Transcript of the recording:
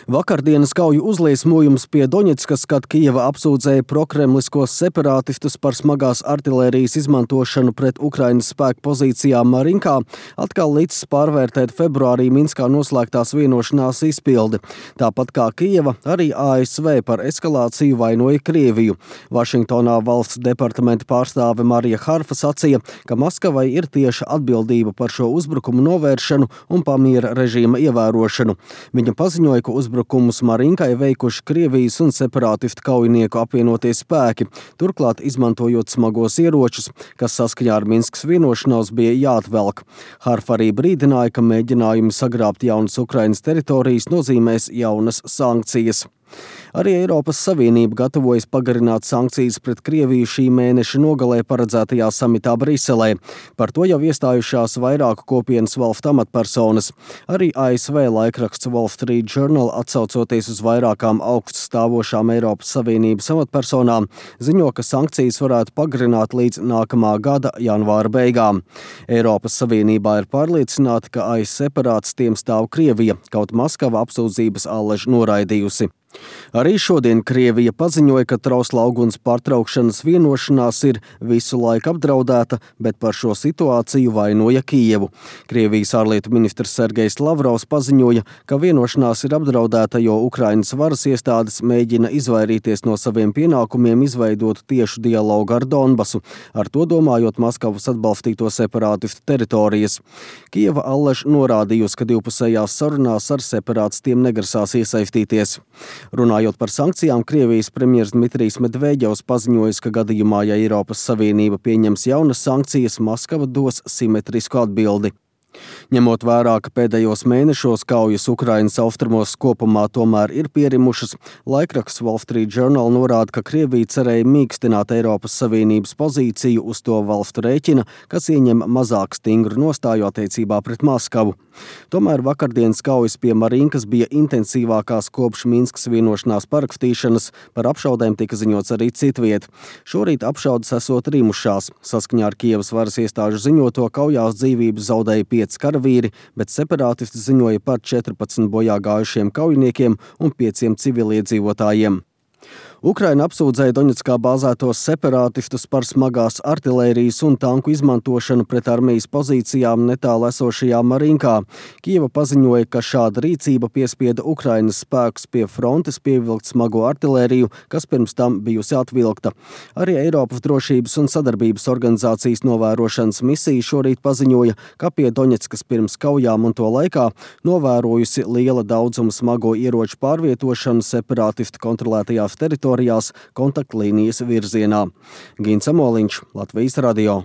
Vakardienas kauju uzliesmojums pie Doņetskas, kad Kijeva apsūdzēja prokremliskos separātistus par smagās artilērijas izmantošanu pret Ukrainas spēku pozīcijām Marinkā, atkal licis pārvērtēt februārī Minskā noslēgtās vienošanās izpildi. Tāpat kā Kijeva, arī ASV par eskalāciju vainoja Krieviju. Vašingtonā valsts departamenta pārstāve Marija Harfa sacīja, ka Maskavai ir tieša atbildība par šo uzbrukumu novēršanu un pamiera režīma ievērošanu. Viņa paziņoja, ka uzbrukumus Marinkai veikuši Krievijas un separātistu kaujinieku apvienotie spēki, turklāt izmantojot smagos ieročus, kas saskaņā ar Minskas vienošanos bija jāatvelk. Harfa arī brīdināja, ka mēģinājumi sagrābt jaunas Ukrainas teritorijas nozīmēs jaunas sankcijas. Arī Eiropas Savienība gatavojas pagarināt sankcijas pret Krieviju šī mēneša nogalē paredzētajā samitā Briselē. Par to jau iestājušās vairāku kopienas valstu amatpersonas. Arī ASV laikraksts Wall Street Journal, atsaucoties uz vairākām augststāvošām Eiropas Savienības amatpersonām, ziņo, ka sankcijas varētu pagarināt līdz nākamā gada janvāra beigām. Eiropas Savienībā ir pārliecināti, ka aiz separātistiem stāv Krievija, kaut Maskava apsūdzības allaž noraidījusi. Arī šodien Krievija paziņoja, ka trausla uguns pārtraukšanas vienošanās ir visu laiku apdraudēta, bet par šo situāciju vainoja Kijevu. Krievijas ārlietu ministrs Sergejs Lavrovs paziņoja, ka vienošanās ir apdraudēta, jo Ukrainas varas iestādes mēģina izvairīties no saviem pienākumiem izveidot tiešu dialogu ar Donbasu, ar to domājot Maskavas atbalstīto separātistu teritorijas. Kijeva allaž norādījusi, ka divpusējās sarunās ar separātistiem negrasās iesaistīties. Runājot par sankcijām, Krievijas premjers Dmitrijs Medvedjevs paziņojis, ka gadījumā, ja Eiropas Savienība pieņems jaunas sankcijas, Maskava dos simetrisku atbildi. Ņemot vērā, ka pēdējos mēnešos kaujas Ukrainas austrumos kopumā tomēr ir pierimušas, laikraksts Wall Street Journal norāda, ka Krievija cerēja mīkstināt Eiropas Savienības pozīciju uz to valstu rēķina, kas ieņem mazāk stingru nostāju attiecībā pret Maskavu. Tomēr vakardienas kaujas pie Marinkas bija intensīvākās kopš Minskas vienošanās parakstīšanas, par apšaudēm tika ziņots arī citviet. Šorīt apšaudes esot rimušās. Saskaņā ar Kijevas varas iestāžu ziņoto kaujās dzīvības zaudēja 5 karavīri, bet separātisti ziņoja par 14 bojā gājušiem kaujiniekiem un 5 civiliedzīvotājiem. Ukraina apsūdzēja Doņetskā bāzētos separātistus par smagās artilērijas un tanku izmantošanu pret armijas pozīcijām netālu esošajā Marinkā. Kijeva paziņoja, ka šāda rīcība piespieda Ukrainas spēkus pie frontes pievilkt smago artilēriju, kas pirms tam bijusi atvilkta. Arī Eiropas drošības un sadarbības organizācijas novērošanas misija šorīt paziņoja, ka pie Doņetskas pirms kaujām un to laikā novērojusi liela daudzuma smago ieroču pārvietošanu separātistu kontrolētajās teritorijās kontaktlīnijas virzienā. Gins Amoliņš, Latvijas radio.